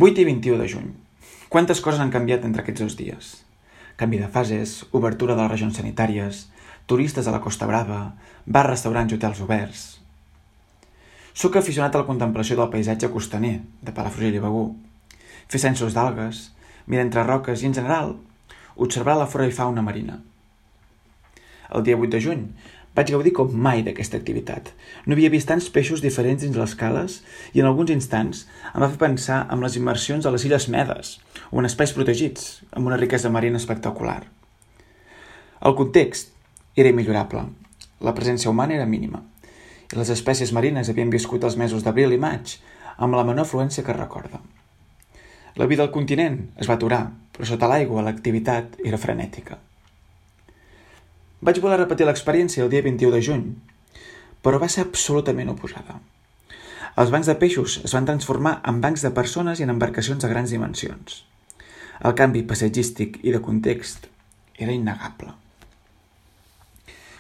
8 i 21 de juny. Quantes coses han canviat entre aquests 2 dies? Canvi de fases, obertura de les regions sanitàries, turistes a la Costa Brava, bars, restaurants i hotels oberts. Soc aficionat a la contemplació del paisatge costaner, de Palafrugell i Begur, fer censos d'algues, mirar entre roques i, en general, observar la flora i fauna marina. El dia 8 de juny vaig gaudir com mai d'aquesta activitat. No havia vist tants peixos diferents dins les cales i en alguns instants em va fer pensar en les immersions a les Illes Medes o en espais protegits, amb una riquesa marina espectacular. El context era immillorable. La presència humana era mínima i les espècies marines havien viscut els mesos d'abril i maig amb la menor afluència que es recorda. La vida al continent es va aturar, però sota l'aigua l'activitat era frenètica. Vaig voler repetir l'experiència el dia 21 de juny, però va ser absolutament oposada. Els bancs de peixos es van transformar en bancs de persones i en embarcacions de grans dimensions. El canvi paisatgístic i de context era innegable.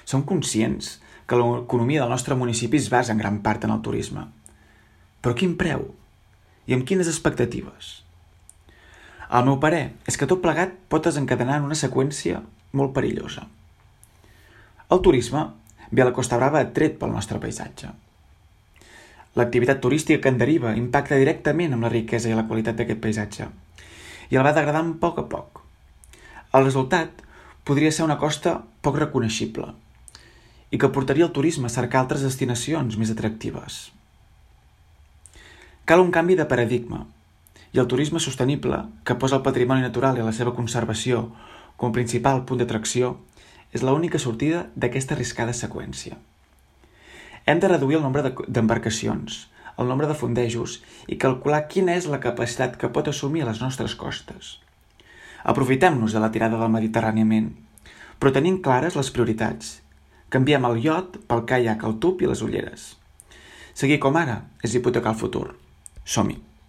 Som conscients que l'economia del nostre municipi es basa en gran part en el turisme. Però a quin preu? I amb quines expectatives? El meu parer és que tot plegat pot desencadenar en una seqüència molt perillosa. El turisme ve a la Costa Brava atret pel nostre paisatge. L'activitat turística que en deriva impacta directament amb la riquesa i la qualitat d'aquest paisatge i el va degradant a poc. El resultat podria ser una costa poc reconeixible i que portaria el turisme a cercar altres destinacions més atractives. Cal un canvi de paradigma i el turisme sostenible, que posa el patrimoni natural i la seva conservació com a principal punt d'atracció, és l'única sortida d'aquesta arriscada seqüència. Hem de reduir el nombre d'embarcacions, el nombre de fondejos i calcular quina és la capacitat que pot assumir les nostres costes. Aprofitem-nos de la tirada del mediterràniament, però tenim clares les prioritats. Canviem el iot pel caiac, el tub i les ulleres. Seguir com ara és hipotecar el futur. Som-hi!